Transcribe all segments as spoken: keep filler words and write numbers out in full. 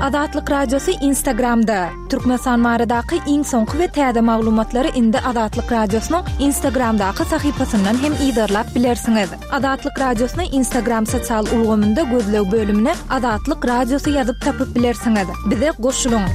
Azatlyk Radiosy Instagramda. Türkmenistan baradaky iň soňky we täze maglumatlary indi Azatlyk Radiosynyň Instagramdaky sahypasyndan hem yzarlap bilersiňiz. Azatlyk Radiosyny Instagram sosial ulgamynda gözleg bölümine Azatlyk Radiosy ýazyp tapyp bilersiňiz. Bize goşulyň.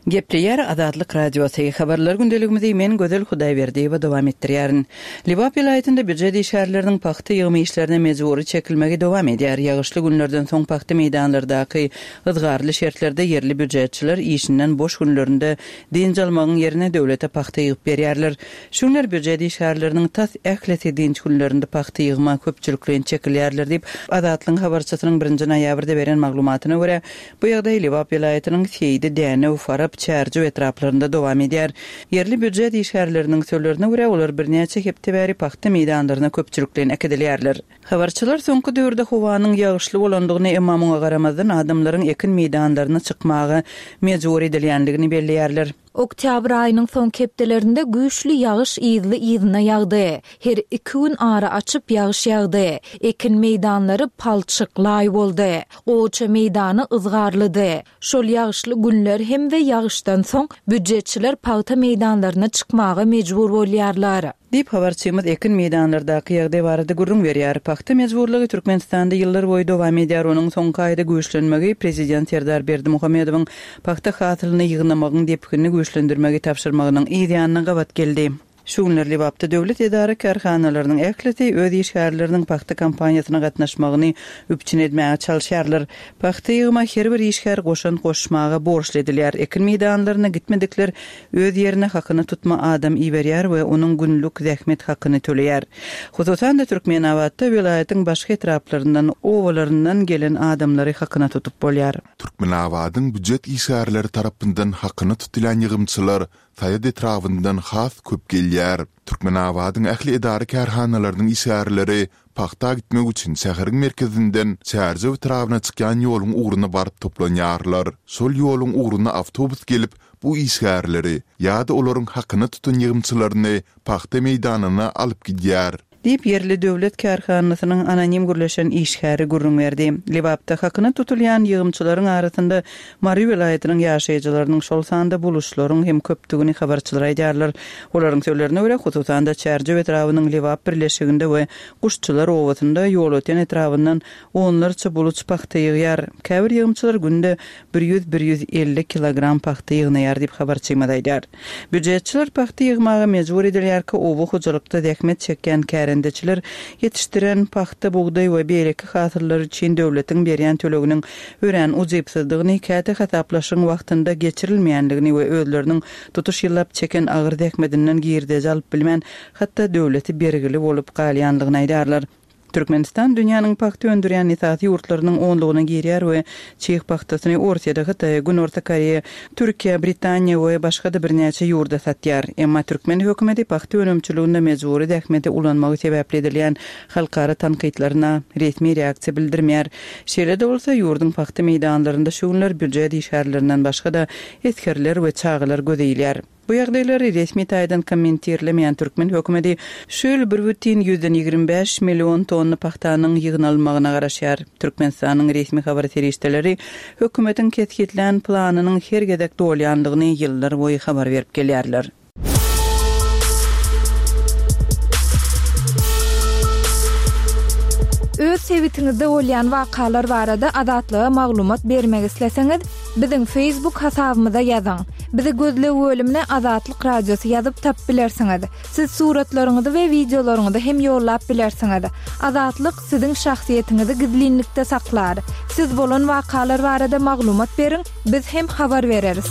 Gepleýär Azatlyk Radiosy. Habarlar gündeligimizi men Gözel Hudaýberdiýewa dowam etdirýärin. Lebap welaýatynda býujet işgärleriniň pagta ýygymy işlerine mejbury çekilmegi dowam edýär. Ýagyşly günlerden soň pagta meýdanlardaky yzgarly şertlerde ýerli býujetçiler işinden boş günlerinde dynç almagyň ýerine döwlete pagta ýygyp berýärler. Şu günler býujet işgärleriniň tas ählisi dynç günlerinde pagta ýygyma köpçülikleýin çekilýärler diýip, Azatlygyň habarçysynyň birinji noýabrda beren maglumatyna görä, bu ýagdaý Lebap welaýatynyň Seýdi, Dänew, Farap, Çärjew etraplarynda dowam edýär. Ýerli býujet işgärleriniň sözlerine görä, olar birnäçe hepde bäri pagta meýdanlaryna köpçülikleýin äkidilýärler. Habarçylar soňky döwürde howanyň ýagyşly bolandygyny, emma muňa garamazdan adamlaryň ekin meýdanlaryna çykmaga mejbur edilýändigini belleýärler. Oktýabr aýynyň soňky hepdelerinde güýçli ýagyş yzly-yzyna ýagdy. Her iki gün ara açyp ýagyş ýagdy. Ekin meýdanlary palçyk, laý boldy. Gowaça meýdany yzgarlydy. Şol ýagyşly günler hem we ýagyşdan soň býujetçiler pagta meýdanlaryna çykmaga mejbur bolýarlar. Diýip, habarçymyz ekin meýdanlardaky ýagdaý barada gürrüň berýär. Pagta mejburlygy Türkmenistanda ýyllar boýy dowam edýär. Onuň soňky aýda güýçlenmegi prezident Serdar Berdimuhamedowyň pagta hasylyny ýygnamagyň depginini güýçlendirmegi tabşyrmagynyň yz ýanyna gabat geldi. Şu günler Lebapda döwlet edara-kärhanalarynyň ählisi öz işgärleriniň pagta kampaniýasyna gatnaşmagyny üpjün etmäge çalyşýarlar. Pagta ýygyma her bir işgär goşant goşmaga borçly edilýär. Ekin meýdanlaryna gitmedikler öz ýerine hakyna tutma adam iberýär we onuň günlük zähmet hakyny töleýär. Hususan-da Türkmenabatda welaýatyň başga etraplaryndan, obalaryndan gelen adamlary hakyna tutup bolýar. Türkmenabadyň býujet işgärleri tarapyndan hakyna tutulýan ýygymçylar Saýat etrabyndan has köp gelýär. Türkmenabadyň ähli edara-kärhanalarynyň işgärleri pagta gitmek üçin şäheriň merkezinden Çärjew etrabyna çykýan ýoluň ugruna baryp toplanýarlar. Şol ýoluň ugruna awtobus gelip, bu işgärleri ýa-da olaryň hakyna tutan ýygymçylaryny pagta meýdanyna alyp gidýär. Diýip, ýerli döwlet kärhanasynyň anonim gürleşen işgäri gürrüň berdi. Lebapda hakyna tutulýan ýygymçylaryň arasynda Mary welaýatynyň ýaşaýjylarynyň, şol sanda buluşlaryň hem köpdügini habarçylar aýdýarlar. Olaryň sözlerine görä, hususan-da, Çärjew etrabynyň Lebap birleşiginde we Guşçular obasynda Ýolöten etrabyndan onlarça buluç pagta ýygýar. Käbir ýygymçylar günde bir ýüz-bir ýüz elli kilogram pagta ýygnaýar diýip, habarçymyz aýdýar. Býujetçiler pagta ýygmaga mejbur edilýärkä oba hojalykda zähmet çekýän kärendeçiler ýetişdiren pagta, bugdaý we beýleki hasyllary üçin döwletiň berýän töleginiň örän ujypsyzdygyny, käte hasaplaşygyň wagtynda geçirilmeýändigini we özleriniň tutuş ýyllap çeken agyr zähmetinden girdeji alyp bilmän, hatda döwlete bergili bolup galýandygyny aýdýarlar. Türkmenistan dünýäniň pagta öndürýän esasy ýurtlarynyň onlugyna girýär we çig pagtasyny Orsýete, Hytaýa, Günorta Koreýa, Türkiýä, Britaniýa we başga-da birnäçe ýurda satýar. Emma türkmen hökümeti pagta önümçiliginde mejbury zähmeti ulanmagy sebäpli edilýän halkara tankytlaryna resmi reaksiýa bildirmeýär. Şeýle-de bolsa, ýurduň pagta meýdanlarynda şu günler býujet işgärlerinden başga-da esgerler we çagalar göze ilýär. Bu ýagdaýlary resmi taýdan kommentirlemeýän türkmen hökümeti şu ýyl bir bütin ýüzden ýigrimi bäş million tonna pagtanyň ýygnalmagyna garaşýar. Türkmenistanyň resmi habar serişdeleri hökümetiň kesgitlän planynyň her gezek dolýandygyny ýyllar boýy habar berip gelýärler. Öz sebitiňizde bolýan wakalar barada Azatlyga maglumat bermek isleseňiz, biziň Facebook hasabymyza ýazyň. Bizi gözleg bölümine Azatlyk Radiosy ýazyp tapyp bilersiňiz. Siz suratlaryňyzy we wideolaryňyzy hem ýollap bilersiňiz. Azatlyk siziň şahsyýetiňizi gizlinlikde saklar. Siz bolan wakalar barada maglumat beriň, biz hem habar bereris.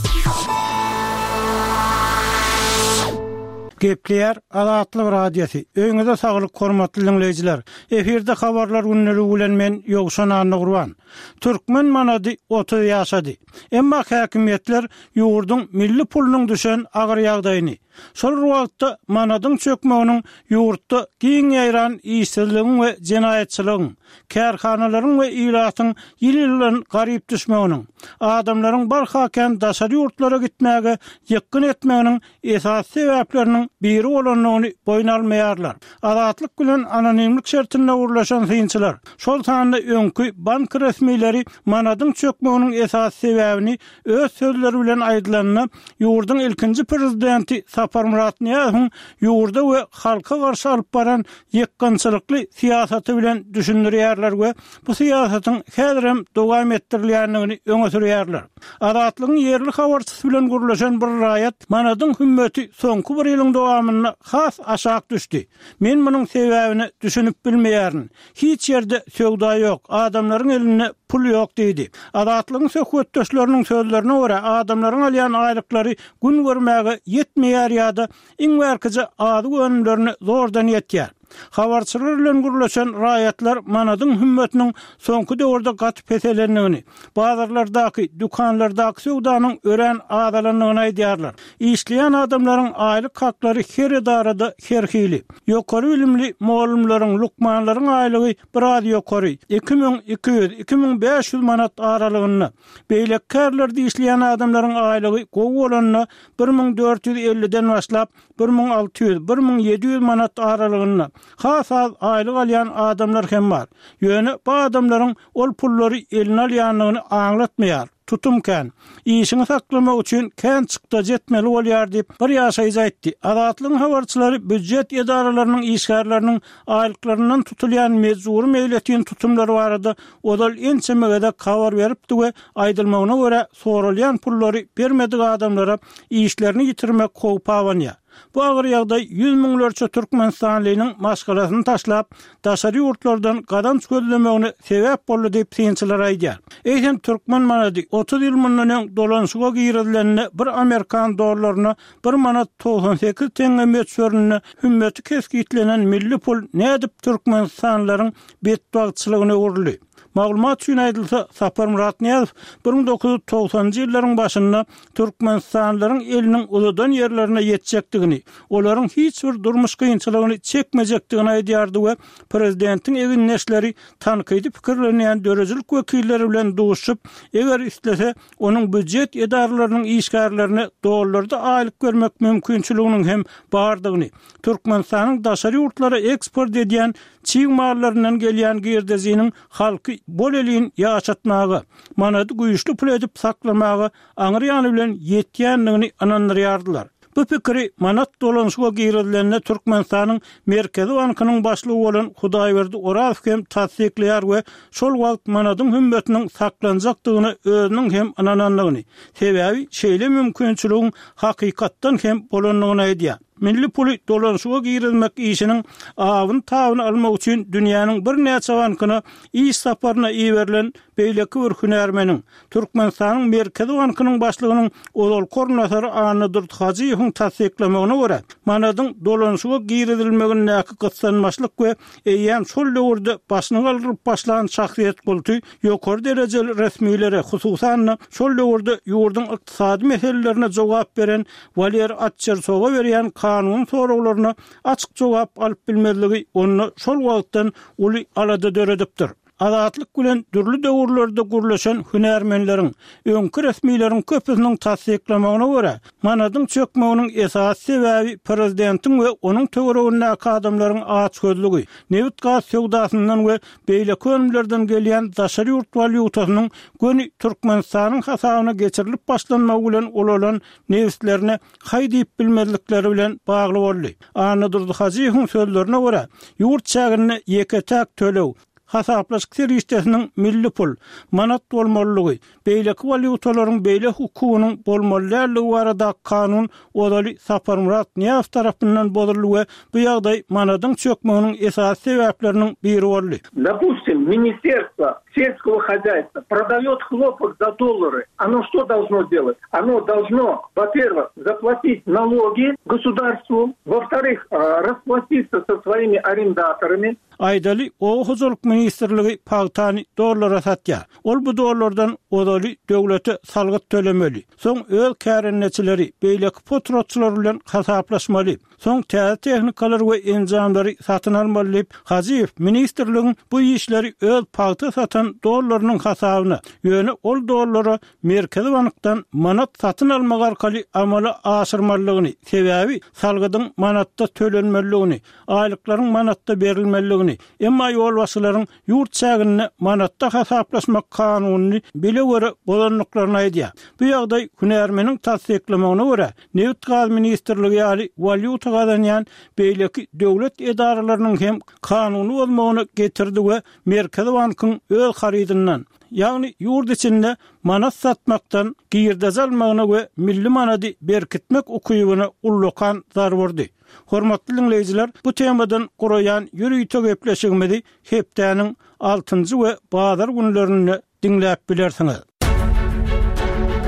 Gepleýär Azatlyk Radiosy. Öýüňize saglyk, hormatly diňleýjiler. Efirde habarlar gündeligi bilen men Ýowşan Annagurban. Türkmen manady otuz ýaşady. Emma häkimiýetler ýurduň milli pulunyň düşen agyr ýagdaýyny, Şol bir wagtda manadyň çökmeginiň ýurtda giň ýaýran işsizligiň we jenaýatçylygyň, kärhanalaryň we ilatyň ýyl-ýyldan garyp düşmeginiň, adamlaryň barha kän daşary ýurtlara gitmäge ýykgyn etmeginiň esasy sebäpleriniň biri bolandygyny boýun almaýarlar. Azatlyk bilen anonimlik şertinde gürleşen synçylar, şol sanda öňki bank resmileri manadyň çökmeginiň esasy sebäbini öz sözleri bilen aýdylanda, ýurduň ilkinji prezidenti Saparmyrat Nyýazowyň ýurda we halka garşy alyp baran ýykgynçylykly syýasaty bilen düşündirýärler we bu syýasatyň häzirem dowam etdirilýändigini öňe sürýärler. Azatlygyň ýerli habarçysy bilen gürleşen bir raýat manadyň hümmeti soňky bir ýylyň dowamynda has aşak düşdi. Men munuň sebäbine düşünip bilmeýärin. Hiç ýerde söwda ýok, adamlaryň elinde pul ýok diýdi. Azatlygyň söhbetdeşleriniň sözlerine görä, adamlaryň alýan aýlyklary gün görmäge ýetmeýär ýa-da iň bärkije azyk önümlerine zordan ýetýär. Habarçylar bilen gürleşen raýatlar manadyň hümmetiniň soňky döwürde gaty peselendigini, bazarlardaky, dükanlardaky söwdanyň örän azalandygyny aýdýarlar. Işleýän adamlaryň aýlyk haklary her edarada her hili. Ýokary bilimli mugallymlaryň, lukmanlaryň aýlygy biraz ýokary, iki müň iki ýüz, iki müň bäş ýüz manat aralygynda. Beýleki kärlerde işleýän adamlaryň aýlygy gowy bolanda bir müň dört ýüz elliden başlap, bir müň alty ýüz, bir müň ýedi ýüz manat aralygynda. Has az aýlyk alýan adamlar hem bar. Ýöne bu adamlaryň ol pullary eline alýandygyny aňlatmaýar. Tutum kän. Işiňi saklamak üçin kän çykdajy etmeli bolýar diýip, bir ýaşaýjy aýtdy. Azatlygyň habarçylary býujet edaralarynyň işgärleriniň aýlyklaryndan tutulýan mejbury meýletin tutumlar barada ozal ençeme gezek habar beripdi we aýdylmagyna görä, soralýan pullary bermedik adamlara işlerini ýitirmek howpy abanýar. Bu agyr ýagdaý ýüz müňlerçe türkmenistanlynyň maşgalasyny taşlap, daşary ýurtlardan gazanç gözlemegine sebäp boldy diýip, synçylar aýdýar. Eýsem, türkmen manady otuz ýyl mundan öň dolanyşyga girizilende bir amerikan dollaryna bir manat togsan sekiz teňňe möçberinde hümmeti kesgitlenen milli pul nädip türkmenistanlylaryň betbagtçylygyna öwrüldi? Maglumat üçin aýdylsa, Saparmyrat Nyýazow bir müň dokuz ýüz togsanynjy ýyllaryň başynda türkmenistanlylaryň eliniň uzadan ýerlerine ýetjekdigini, olaryň hiç bir durmuş kynçylygyny çekmejekdigini aýdýardy we prezidentiň egindeşleri tankydy pikirlenýän döredijilik wekilleri bilen duşup, eger islese, onuň býujet edaralarynyň işgärlerine dollarda aýlyk bermek mümkinçiliginiň hem bardygyny, Türkmenistanyň daşary ýurtlara eksport edýän çig mallaryndan gelýän girdejiniň halky bol-elin ýaşatmaga, manady güýçli pul edip saklamaga aňry ýany bilen ýetýändigini ynandyrýardylar. Bu pikiri manat dolanyşyga girizilende Türkmenistanyň Merkezi bankynyň başlygy bolan Hudaýberdi Orazow hem tassyklaýar we şol wagt manadyň hümmetiniň saklanjakdygyna özüniň hem ynanandygyny, sebäbi şeýle mümkinçiligiň hakykatdan hem bolandygyny aýdýar. Milli puly dolanyşyga girizmek işiniň abyny-tabyny almak üçin dünýäniň birnäçe bankyna iş saparyna iberilen beýleki bir hünärmeniň, Türkmenistanyň Merkezi bankynyň başlygynyň ozalky orunbasary Annadurdy Hajyýewiň tassyklamagyna görä, manadyň dolanyşyga girizilmegindäki gyssanmaçlyk we eýýäm şol döwürde başyny galdyryp başlan şahsyýet kulty ýokary derejeli resmilere, hususan-da, şol döwürde ýurduň ykdysady meselelerine jogap beren Waler Atçersowa berýän kanuny soraglaryna açyk jogap alyp bilmezligi onda şol wagtdan uly alada döredipdir. Azatlyk bilen dürli döwürlerde gürleşen hünärmenleriň, öňki resmileriň köpüsiniň tassyklamagyna görä, manadyň çökmeginiň esasy sebäbi prezidentiň we onuň töweregindäki adamlaryň açgözlügi, nebit-gaz söwdasyndan we beýleki önümlerden gelýän daşary ýurt walýutasynyň göni Türkmenistanyň hasabyna geçirilip başlanmagy bilen ulalan nebislerine haý diýip bilmezlikleri bilen bagly boldy. Annadurdy Hajyýewiň sözlerine görä, ýurt çäginde ýeke-täk töleg, hasaplaşyk serişdesiniň milli pul, manat bolmalydygy, beýleki walýutalaryň beýle hukugynyň bolmaly däldigi baradaky kanun ozaly Saparmyrat Nyýazow tarapyndan bozuldy we bu ýagdaý manadyň çökmeginiň esasy sebäpleriniň biri boldy. Dopustim, Ministerstwo selskogo hozýaýstwa prodaýot hlopok za dollary, ono što dolžno delat? Ono dolžno, wo-perwyh, zaplatit nalogi gosudarstwu, wo-wtoryh, rasplatitsiýa so svoimi arendatorami. Aýdaly, Oba hojalyk ministrligi pagtany dollara satýar. Ol bu dollardan ozaly döwlete salgyt tölemeli. Soň öz kärendeçileri, beýleki potratçylar bilen hasaplaşmaly. Soň täze tehnikalary we enjamlary satyn almaly diýip, Hajyýew ministrligiň bu işleri öz pagta satan dollarynyň hasabyna, ýöne ol dollara Merkezi bankdan manat satyn almak arkaly amala aşyrmalydygyny, sebäbi salgydyň manatda tölenmelidigini, aýlyklaryň manatda berilmelidigini, emma ýolbaşçylaryň ýurt çäginde manatda hasaplaşmak kanunyny bile-göre bozandyklaryny aýdýar. Bu ýagdaý hünärmeniň tassyklamagyna görä, Nebit-gaz ministrligi ýaly walýuta gazanýan beýleki döwlet edaralarynyň hem kanuny bozmagyna getirdi we Merkezi bankyň öz harydyndan, ýagny ýurt içinde manat satmakdan girdeji almagyna we milli manady berkitmek ukybyna ullakan zarba urdy. Hormatly diňleýjiler, bu temadan guraýan ýörite gepleşigimizi hepdäniň altynjy we bazar günlerinde diňläp bilersiňiz.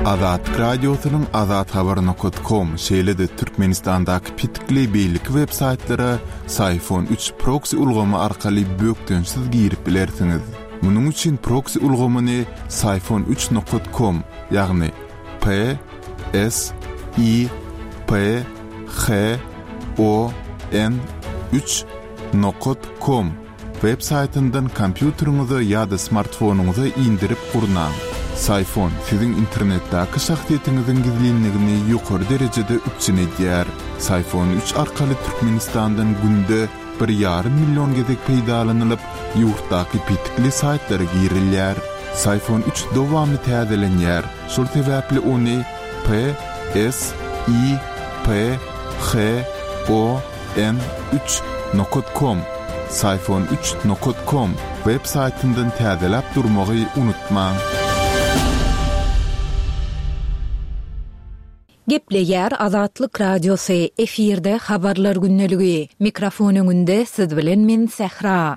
Azatlyk Radiosynyň azathabar nokat kom, şeýle-de Türkmenistandaky petikli beýleki web saýtlara Syfon üç proksi ulgamy arkaly bökdençsiz girip bilersiňiz. Munuň üçin proksi ulgamyny Syfon üç nokat kom, ýagny P S I P H O N üç nokat kom web saýtyndan kompýuteriňize ýa-da smartfonyňyza indirip gurnaň. Syfon siziň internetdäki şahsyýetiňiziň gizlinligini ýokary derejede üpjün edýär. Syfon üç arkaly Türkmenistandan günde bir ýarym million gezek peýdalanylyp, ýurtdaky petikli saýtlara girilýär. Syfon üç dowamly täzelenýär, şol sebäpli ony P S I P H O N üç nokat kom, Syfon üç nokat kom web saýtyndan täzeläp durmagy unutmaň. Gepleýär Azatlyk Radiosy, efirde Habarlar gündeligi. Mikrofon öňünde siz bilen men Sähra.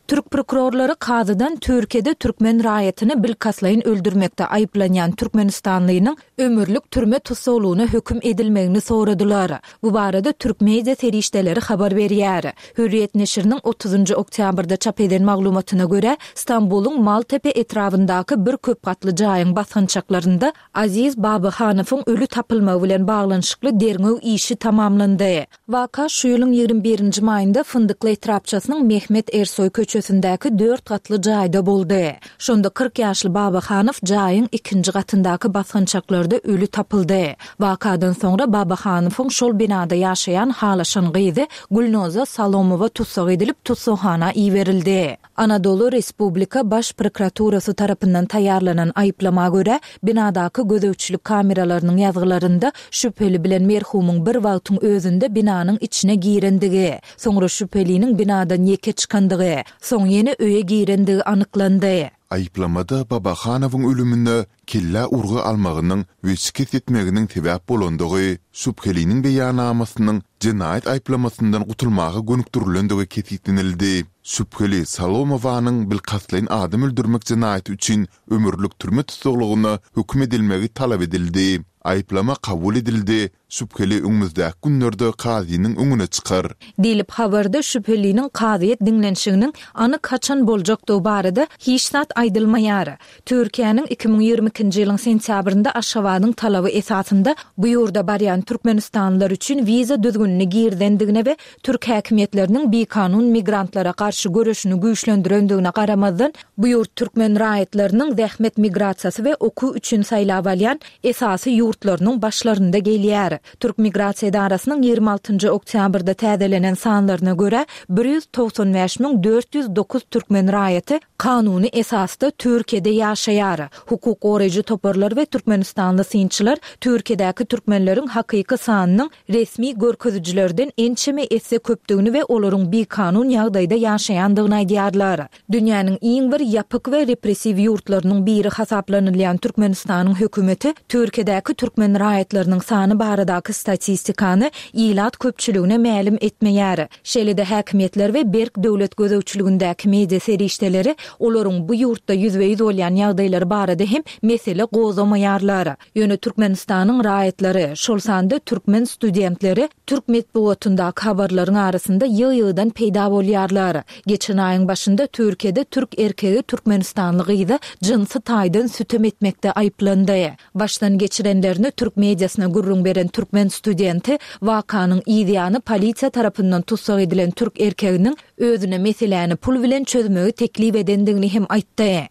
Türk prokurorlary kazydan Türkiýede türkmen raýatyny bilkastlaýyn öldürmekde aýyplanýan türkmenistanlynyň ömürlik türme tussaglygyna höküm edilmegini soradylar. Bu barada türk media serişdeleri habar berýär. Hürriýet neşiriniň otuzynjy oktýabrda çap eden maglumatyna görä, Stambulyň Maltepe etrabyndaky bir köp gatly jaýyň basgançaklarynda Aziz Babahanowyň öli tapylmagy bilen baglanyşykly derňew işi tamamlandy. Waka şu ýylyň ýigrimi birinji maýynda Fyndykly etrapçasynyň Mehmet Ersoý köçesindäki dört gatly jaýda boldy. Şonda kyrk ýaşly Babahanow jaýyň ikinji gatyndaky basgançaklarda öli tapyldy. Wakadan soňra Babahanowyň şol binada ýaşaýan halaşan gyzy Gülnoza Salomowa tussag edilip, tussaghana iberildi. Anadolu Respublika Baş prokuraturasy tarapyndan taýýarlanan aýyplama görä, binadaky gözegçilik kameralarynyň ýazgylarynda şübheli bilen merhumyň bir wagtyň özünde binanyň içine girendigi, soňra şübheliniň binadan ýeke çykandygy, soň ýene öýe girendigi anyklandy. Aýyplamada Babahanowyň ölümine kellä urgy almagynyň we şikes ýetmeginiň sebäp bolandygy, şübheliniň beýannamasynyň jenaýat aýyplamasyndan gutulmaga gönükdirilendigi kesgitlenildi. Şübheli Salomowanyň bilkastlaýyn adam öldürmek jenaýaty üçin ömürlik türme tussaglygyna höküm edilmegi talap edildi. Aýyplama kabul edildi, şübheli öňümizdäki günlerde kazynyň öňüne çykar. Diýlip, habarda şübheliniň kazyýet diňlenişiginiň anyk haçan boljakdygy barada hiç zat aýdylmaýar. Türkiýäniň iki müň ýigrimi ikinji ýylyň sentýabrynda Aşgabadyň talaby esasynda bu ýurda barýan türkmenistanlylar üçin wiza düzgünini girizendigine we türk häkimiýetleriniň bikanun migrantlara garşy göreşini güýçlendirendigine garamazdan, bu ýurt türkmen raýatlarynyň zähmet migrasiýasy we okuw üçin saýlap alýan esasy ýurtlarynyň başlarynda gelýär. Türk migrasiýa edarasynyň ýigrimi altynjy oktýabrda täzelenen sanlaryna görä, bir ýüz togsan bäş müň dört ýüz dokuz türkmen raýaty kanuny esasda Türkiýede ýaşaýar. Hukuk goraýjy toparlar we türkmenistanly synçylar Türkiýedäki türkmenleriň hakyky sanynyň resmi görkezijilerden ençeme esse köpdügini we olaryň bikanun ýagdaýda ýaşaýandygyny aýdýarlar. Dünýäniň iň bir ýapyk we repressiw ýurtlarynyň biri hasaplanylýan Türkmenistanyň hökümeti Türkiýedäki türkmen raýatlarynyň sany baradaky baradaky statistikany ilat köpçüligine mälim etmeýär. Şeýle-de häkimiýetler we berk döwlet gözegçiligindäki media serişdeleri olaryň bu ýurtda ýüzbe-ýüz bolýan ýagdaýlary barada hem mesele gozgamaýarlar. Ýöne Türkmenistanyň raýatlary, şol sanda türkmen studentleri türk metbugatyndaky habarlaryň arasynda ýygy-ýygydan peýda bolýarlar. Geçen aýyň başynda Türkiýede türk erkegi türkmenistanly gyza jynsy taýdan sütem etmekde aýyplandy. Başdan geçirenlerini türk mediasyna gürrüň beren türkmen studenti wakanyň yzýany polisiýa tarapyndan tussag edilen türk erkeginiň özüne meseläni pul bilen çözmegi teklip edendigini hem aýtdy.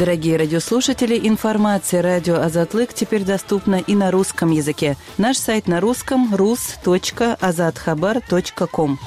Дорогие радиослушатели, информация радио Азатлык теперь доступна и на русском языке. Наш сайт на русском rus точка azathabar точка ком.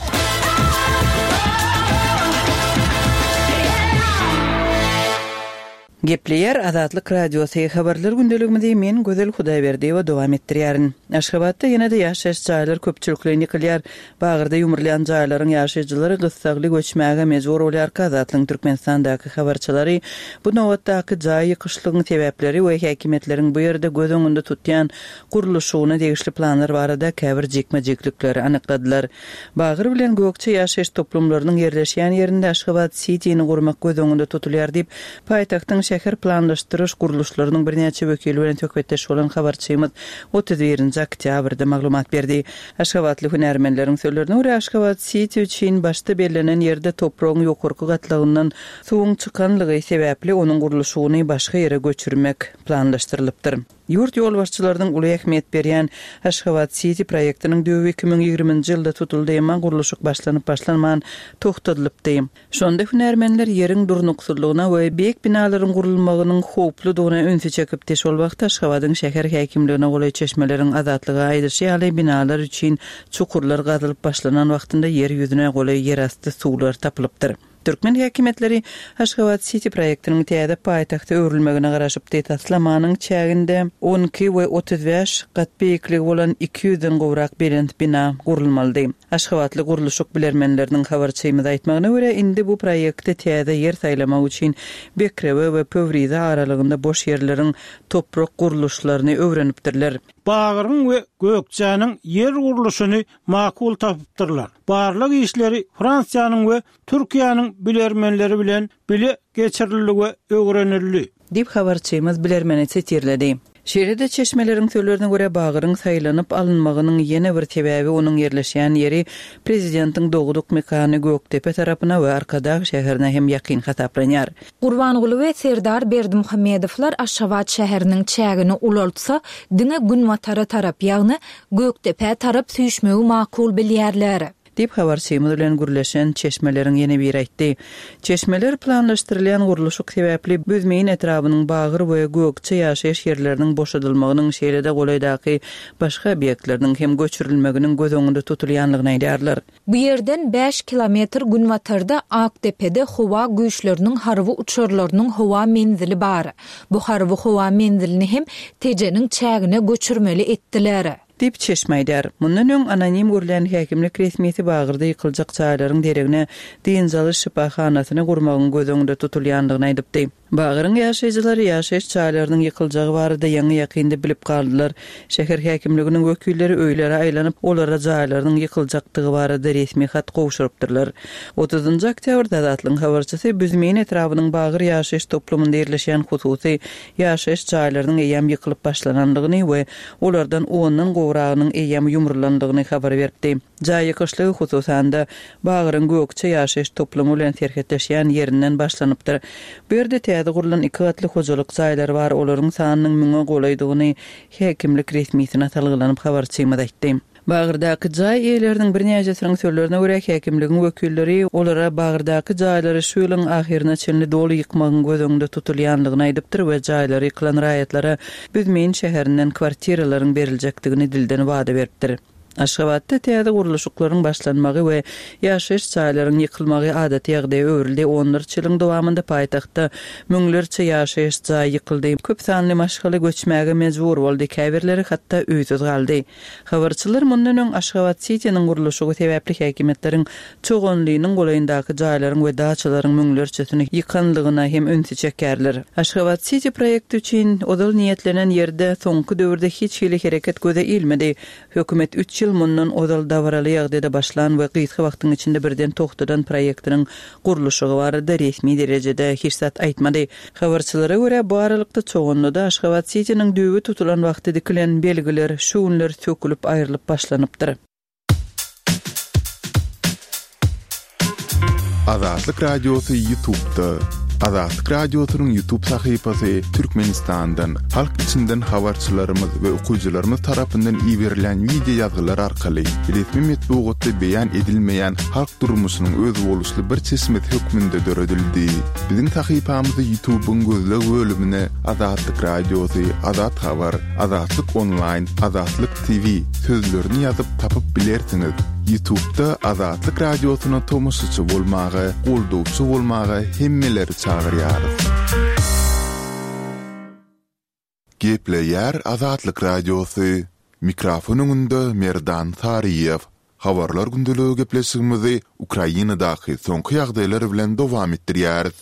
Gepleýär Azatlyk Radiosy habarlar gündeligimizi men Gözel Hudaýberdiýewa dowam etdirýärin. Aşgabatda ýene-de ýaşaýyş jaýlar köpçülikleýin ýykylýar. Bagyrda ýumrulýan jaýlaryň ýaşaýjylary gyssagly göçmäge mejbur bolýar. Azatlygyň Türkmenistandaky habarçylary bu nobatdaky jaý ýykyşlygyň sebäpleri we häkimiýetleriň bu ýerde göz öňünde tutýan gurluşygyna degişli planlar barada käbir jikme-jiklikleri anykladylar. Bagyr bilen Gökçe ýaşaýyş toplumlarynyň ýerleşýän ýerinde Aşgabat Cityni gurmak göz öňünde tutulýar diýip, paýtagtyň şäher planlaşdyryş gurluşlarynyň birnäçe wekili bilen söhbetdeş bolan habarçymyz otuz birinji oktýabrda maglumat berdi. Aşgabatly hünärmenleriň sözlerine görä Aşgabat City üçin başda bellenen ýerde topragyň ýokarky gatlagyndan suwuň çykanlygy sebäpli onuň gurluşygyny başga ýere göçürmek planlaşdyrylypdyr. Ýurt ýolbaşçylarynyň uly ähmiýet berýän Aşgabat City proýektiniň düýbi iki müň ýigriminji ýylda tutuldy, emma gurluşyk başlanyp başlanman toxtadylypdy. Şonda hünärmenler ýeriň durnuksyzlygyna we beýik binalaryň gurulmagynyň howpludygyna ünsi çekipdi. Şol wagt Aşgabadyň şäher häkimligine golaý çeşmeleriň azatlyga aýdyşy ýaly binalar üçin çukurlar gazylyp başlanan wagtynda ýer ýüzüne golaý ýerasty suwlar tapylypdyr. Türkmen häkimiýetleri Aşgabat City proýektiniň täze paýtagta öwrülmegine garaşypdy. Taslamanyň çäginde on iki we otuz bäş gat beýikligi bolan iki ýüzden gowrak belent bina gurulmalydy. Aşgabatly gurluşyk bilermenleriniň habarçymyz aýtmagyna görä indi bu proýekte täze ýer saýlamak üçin Bekrewe we Pöwrize aralygynda boş ýerleriň toprak gurluşlaryny öwrenipdirler. Bagyryň we Gökçäniň ýer gurluşyny makul tapypdyrlar. Barlyk işleri Fransiýanyň we Türkiýäniň bilermenleri bilen bile geçirildi we öwrenildi. Diýip habarçymyz bilermeni sitirledi. Şeýle-de çeşmeleriň sözlerine görä Bagyryň saýlanyp alynmagynyň ýene bir sebäbi onuň ýerleşýän ýeri prezidentiň dogduk mekany Gökdepe tarapyna we Arkadag şäherine hem ýakyn hasaplanýar. Gurbanguly we Serdar Berdimuhamedowlar Aşgabat şäheriniň çägini ulaltsa, diňe Günbatara tarap, ýagny Gökdepe tarap süýşmegi makul bilýärler. Diýip habarçymyz bilen gürleşen çeşmeleriň ýene biri aýtdy. Çeşmeler planlaşdyrylýan gurluşyk sebäpli Büzmeýin etrabynyň Bagyr we Gökçe ýaşaýyş ýerleriniň boşadylmagynyň şeýle-de golaýdaky başga obýektleriniň hem göçürilmeginiň göz öňünde tutulýanlygyny aýdýarlar. Bu ýerden bäş kilometr günbatarda Akdepede howa güýçleriniň harby uçarlarynyň howa menzili bar. Bu harby howa menzilini hem Tejeniň çägine göçürmeli etdiler. Diýip çeşme aýdar. Mundan öň anonim gurlan häkimlik resmisi Bagyrda ýykyljak jaýlaryň deregine dynç alyş şypahanasyny gurmagyň göz öňünde tutulýanlygyny aýdypdy. Bagyryň ýaşaýjylary ýaşaýyş jaýlarynyň ýykyljagy barada ýaňy ýakynda bilip galdylar. Şäher häkimliginiň wekilleri öýlere aýlanyp, olara jaýlarynyň ýykyljakdygy barada resmi hat gowşurypdyrlar. Otuzynjy oktýabrda Azatlygyň habarçysy Büzmeýin etrabynyň Bagyr ýaşaýyş toplumynda ýerleşýän hususy ýaşaýyş jaýlarynyň eýýäm ýykylyp başlanandygyny we olardan ondan gowragynyň eýýäm ýumrulandygyny habar beripdi. Jaý ýykyşlygy hususan-da Bagyryň Gökçe ýaşaýyş toplumy bilen serhetleşýän ýerinden başlanypdyr. Bu ýerde täze gurlan iki gatly hojalyk jaýlary bar, olaryň sanynyň müňe golaýdygyny häkimlik resmisine salgylanyp habarçymyz aýtdy. Bagyrdaky jaý eýeleriniň birnäçesiniň sözlerine görä häkimligiň wekilleri olara Bagyrdaky jaýlary şu ýylyň ahyryna çenli doly ýykmagyň göz öňünde tutulýanlygyny aýdypdyr we jaýlary ýykylan raýatlara Büzmeýin şäherinden kwartiralaryň beriljekdigini dilden wada beripdir. Aşgabatda täze gurluşyklaryň başlanmagy we ýaşaýyş jaýlaryň ýykylmagy adaty ýagdaýa öwrüldi. Onlarça ýylyň dowamynda paýtagtda müňlerçe ýaşaýyş jaý ýykyldy. Köp sanly maşgala göçmäge mejbur boldy, käbirleri hatda öýsüz galdy. Habarçylar mundan öň Aşgabat Sitiniň gurluşygy sebäpli häkimiýetleriň Çoganlynyň golaýyndaky jaýlaryň we daçalaryň müňlerçesini ýykanlygyna hem ünsi çekýärler. Aşgabat Siti proýekti üçin ozal niýetlenen ýerde soňky döwürde hiç hili hereket göze ilmedi. Hökümet üç ýyl mundan ozal dabaraly ýagdaýda başlan we gysga wagtyň içinde birden togtadan proýektiniň gurluşygy barada resmi derejede hiç zat aýtmady. Habarçylara görä, bu aralykda Çoganlyda Aşgabat Sitiniň düýbi tutulan wagty dikilen belgiler şu günler sökülip aýrylyp başlanypdyr. Azatlyk Radiosy YouTube'da. Azatlyk Radiosynyň YouTube sahypasy Türkmenistandan, halk içinden habarçylarymyz we okyjylarymyz tarapyndan iberilen wideo ýazgylar arkaly resmi metbugatda beýan edilmeýän halk durmuşynyň özboluşly bir çeşmesi hökmünde döredildi. Biziň sahypamyzy YouTube'yň gözleg bölümine Azatlyk Radiosy, Azat Habar, Azatlyk Online, Azatlyk T V sözlerini ýazyp tapyp bilersiňiz. YouTube'da Azatlyk Radiosyna tomaşaçy bolmaga, goldawçy bolmaga hemmeleri çagyrýarys. Gepleýär Azatlyk Radiosy. Mikrofon öňünde Merdan Saryýew. Habarlar gündeligi gepleşigimizi Ukrainadaky soňky ýagdaýlar bilen dowam etdirýäris.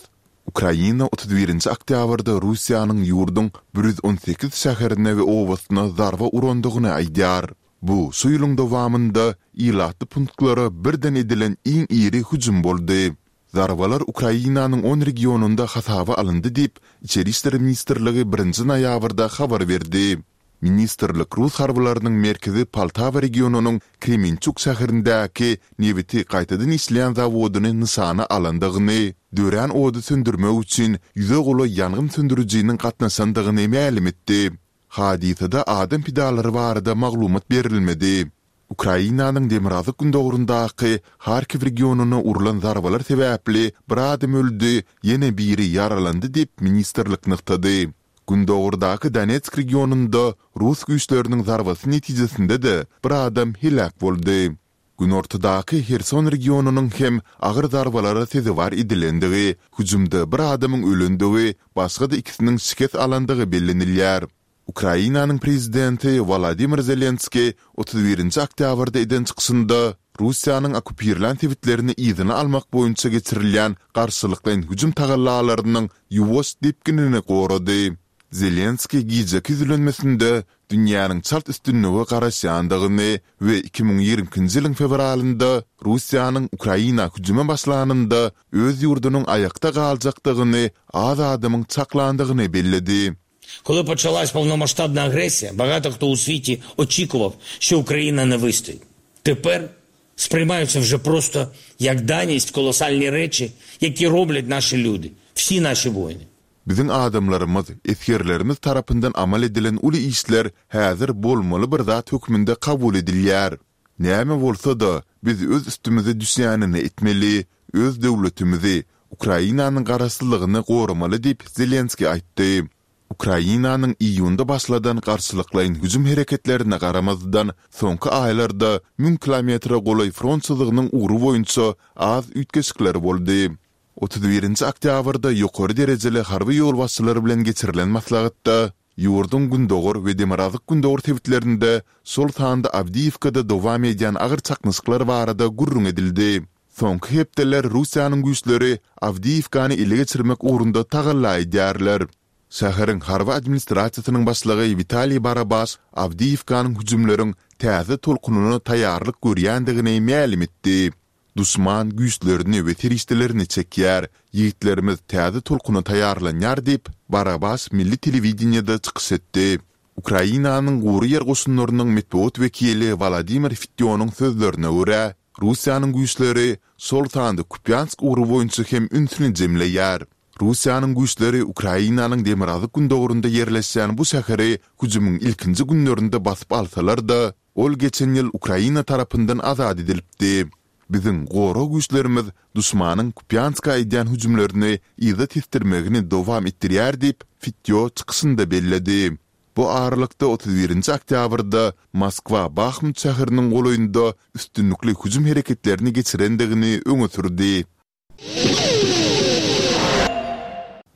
Ukraina otuz birinji oktýabrda Russiýanyň ýurduň bir ýüz on sekiz şäherine we obasyna zarba urandygyny aýdýar. Bu şu ýylyň dowamynda ilatly punktlara birden edilen iň iri hüjüm boldy. Zarbalar Ukrainanyň on regionynda hasaba alyndy diýip, Içeri işler ministrligi birinji noýabrda habar berdi. Ministrlik rus harbylarynyň merkezi Poltawa regionynyň Kremençuk şäherindäki nebiti gaýtadan işleýän zawodyny nyşana alandygyny, dörän ody söndürmek üçin ýüze golaý ýangyn söndürijiniň gatnaşandygyny mälim etdi. Hadysada adam pidalary barada maglumat berilmedi. Ukrainanyň demirgazyk-gündogaryndaky Harkiw regionyna urlan zarbalar sebäpli bir adam öldi, ýene biri ýaralandy diýip, ministrlik nygtady. Gündogardaky Donetsk regionynda rus güýçleriniň zarbasy netijesinde-de bir adam heläk boldy. Günortadaky Herson regionynyň hem agyr zarbalara sezewar edilendigi, hüjümde bir adamyň ölendigi, başga-da ikisiniň şikes alandygy bellenilýär. Ukrainanyň prezidenti Wolodymyr Zelenskiý otuz birinji oktýabrda eden çykyşynda Russiýanyň okkupirlän sebitlerini yzyna almak boýunça geçirilýän garşylyklaýyn hüjüm tagallalarynyň ýuwaş depginini gorady. Zelenskiý gijeki ýüzlenmesinde dünýäniň çalt üstünlige garaşýandygyny we iki müň ýigrimi ikinji ýylyň fewralynda Russiýanyň Ukraina hüjüme başlanynda öz ýurdunyň aýakda galjakdygyny az adamyň çaklandygyny belledi. Коли почалась полномасштабна агресія, багато хто у світі очікував, що Україна не вистоїть. Тепер сприймаються вже просто як даність колосальні речі, які роблять наші люди, всі наші воїни. Biziň adamlarymyz, esgerlerimiz tarapyndan amal edilen uly işler häzir bolmaly bir zat hökmünde kabul edilýär. Näme bolsa-da, biz öz üstümize düşýänini etmeli, öz döwletimizi, Ukrainanyň garaşsyzlygyny goramaly diýip Zelenskiý aýtdy. Ukrainanyň iýunda başladan garşylyklaýyn hüjüm hereketlerine garamazdan, soňky aýlarda müň kilometre golaý front çyzygynyň ugry boýunça az üýtgeşikler boldy. Otuz birinji oktýabrda ýokary derejeli harby ýolbaşçylar bilen geçirilen maslahatda ýurduň gündogar we demirgazyk gündogar sebitlerinde, şol sanda Awdiýewkada dowam edýän agyr çaknyşyklar barada gürrüň edildi. Soňky hepdeler Russiýanyň güýçleri Awdiýewkany ele geçirmek ugrunda tagalla edýärler. Şäheriň harby administrasiýasynyň başlygy Witaliý Barabaş Awdiýewkanyň hüjümleriň täze tolkunyna taýýarlyk görýändigini mälim etdi. Duşman güýçlerini we serişdelerini çekýär, ýigitlerimiz täze tolkuna taýýarlanýar diýip, Barabaş milli telewideniýede çykyş etdi. Ukrainanyň gury ýer goşunlarynyň metbugat wekili Wladimir Fitýonyň sözlerine görä, Russiýanyň güýçleri şol sanda Kupýansk ugry boýunça hem ünsüni jemleýär. Russiýanyň güýçleri Ukrainanyň demirgazyk gündogarynda ýerleşýän bu şäheri hüjümiň ilkinji günlerinde basyp alsalar-da, ol geçen ýyl Ukraina tarapyndan azat edilipdi. Biziň gorag güýçlerimiz duşmanyň Kupýanska edýän hüjümlerini yza tesdirmegini dowam etdirýär diýip, Fitýo çykyşynda belledi. bu aralykda otuz birinji oktýabrda Moskwa Bahmut şäheriniň golaýynda üstünlikli hüjüm hereketlerini geçirendigini öňe sürdi.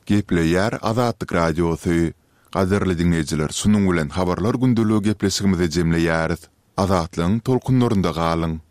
Gepleýär Azatlyk Radiosy. Gadyrly diňleýjiler, şunuň bilen Habarlar gündeligi gepleşigimizi jemleýäris. Azatlygyň tolkunlarynda galyň!